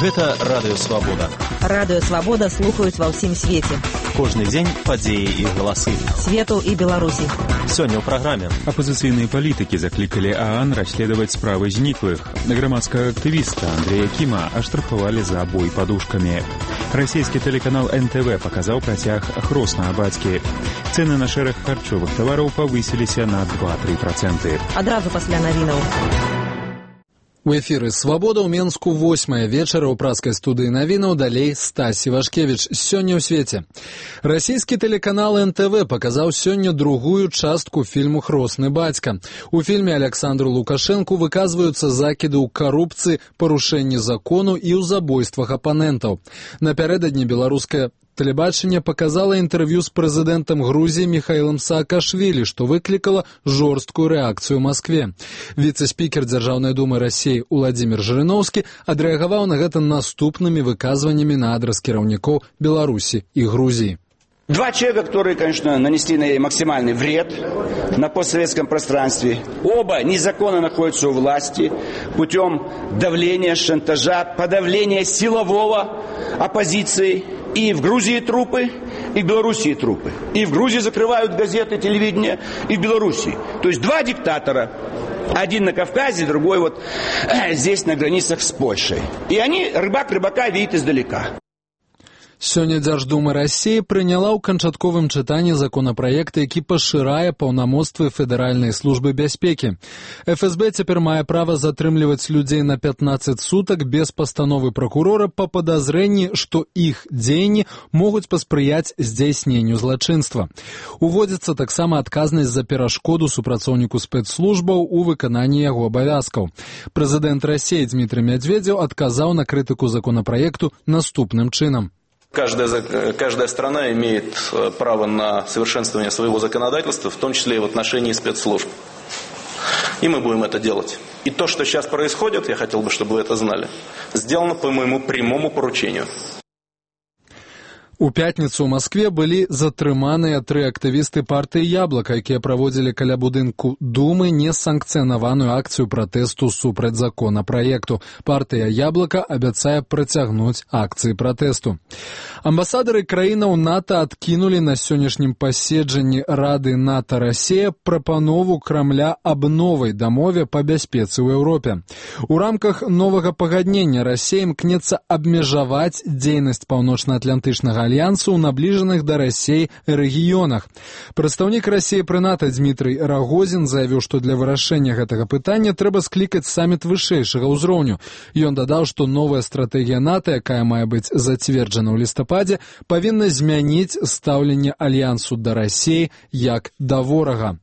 Гэта Радыё Свабода. Радыё Свабода слухаюць ва ўсім свеце. Кожны дзень падзеі і галасы. Свету і Беларусі. Сёння ў праграме. Апозіцыйныя палітыкі заклікалі ААН расследаваць справы зніклых. Грамадскага актывіста Андрея Кіма аштрафавалі за бой падушкамі. Расійскі тэлеканал НТВ паказаў працяг хроснага бацькі. Цэны на шэраг харчовых тавараў павысіліся на 2-3%. Адразу пасля навінаў. У эфіры «Свабода» ў Менску 8 вечара ў праскай студыі навінаў, далей Стась Івашкевіч. Сёння ў свеце. Расійскі тэлеканал НТВ паказаў сёння другую частку фільму «Хросны бацька». У фільме Александру Лукашэнку выказваюцца закіды ў карупцыі, парушэнні закону і ў забойствах апанентаў. Напярэдадні беларускае тэлебачанне паказала інтэрв'ю з прэзідэнтам Грузіі Міхаілам Саакашвілі, што выклікала жорсткую рэакцыю ў Маскве. Віцэ-спікер Дзяржаўнай думы Расіі Уладзімір Жырыноўскі адрэагаваў на гэта наступнымі выказваннямі на адрас кіраўнікоў Беларусі і Грузіі. Два человека, которые, конечно, нанесли максимальный вред на постсоветском пространстве. Оба незаконно находятся у власти путем давления, шантажа, подавления силового оппозиции. И в Грузии трупы, и в Белоруссии трупы. И в Грузии закрывают газеты, телевидение, и в Белоруссии. То есть два диктатора. Один на Кавказе, другой вот здесь на границах с Польшей. И они рыбак рыбака видят издалека. Сёння Дзярждума Расіі прыняла ў канчатковым чытанні законапраект, які пашырае паўнамоцтвы Федэральнай службы бяспекі. ФСБ цяпер мае права затрымліваць людзей на 15 сутак без пастановы пракурора па падазрэнні, што іх дзеянні могуць паспрыяць здзяйсненню злачынства. Уводзіцца таксама адказнасць за перашкоду супрацоўніку спецслужбаў у выкананні яго абавязкаў. Прэзідэнт Расіі Дмітрый Медведзеў адказаў на крытыку законапраекту наступным чынам. Каждая страна имеет право на совершенствование своего законодательства, в том числе и в отношении спецслужб. И мы будем это делать. И то, что сейчас происходит, я хотел бы, чтобы вы это знали, сделано по моему прямому поручению. У пятніцу ў Маскве былі затрыманыя 3 актывісты партыі «Яблока», якія праводзілі каля будынку Думы несанкцыянаваную акцыю пратэсту супраць законапраекту. Партыя «Яблока» абяцае працягнуць акцыі пратэсту. Амбасадары краінаў НАТО адкінулі на сённяшнім паседжанні Рады НАТО-Расія прапанову Крамля аб новай дамове па бяспецы ў Еўропе. У рамках новага пагаднення Расія імкнецца абмежаваць дзейнасць паўночна-атлантычнага альянсу ў набліжаных да Расіі рэгіёнах. Прадстаўнік Расіі пры НАТО Дмітрый Рагозін заявіў, што для вырашэння гэтага пытання трэба склікаць саміт вышэйшага ўзроўню. Ён дадаў, што новая стратэгія НАТО, якая мае быць зацверджана ў лістападзе, павінна змяніць стаўленне альянсу да Расіі як да ворага.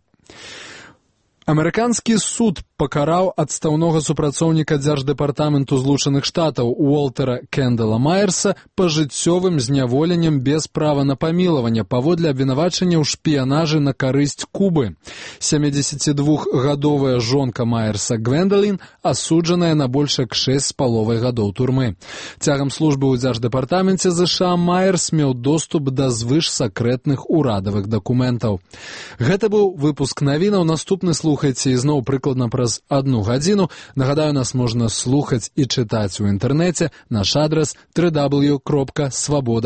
Амерыканскі суд пакараў адстаўнога супрацоўніка Дзярждэпартаменту Злучаных Штатаў Уолтера Кендала Майерса пажыццёвым зняволеннем без права на памілаванне паводле абвінавачання ў шпіянажы на карысць Кубы. 72-гадовая жонка Майерса Гвендалін асуджаная на больш як 6,5 гадоў турмы. Цягам службы ў Дзярждэпартаменце ЗША Майерс меў доступ да звышсакрэтных урадавых дакументаў. Гэта быў выпуск навінаў. Наступны слухайце ізноў прыкладна праз 1 гадзіну. Нагадаю, нас можна слухаць і чытаць у інтэрнэце. Наш адрас www.svoboda.org.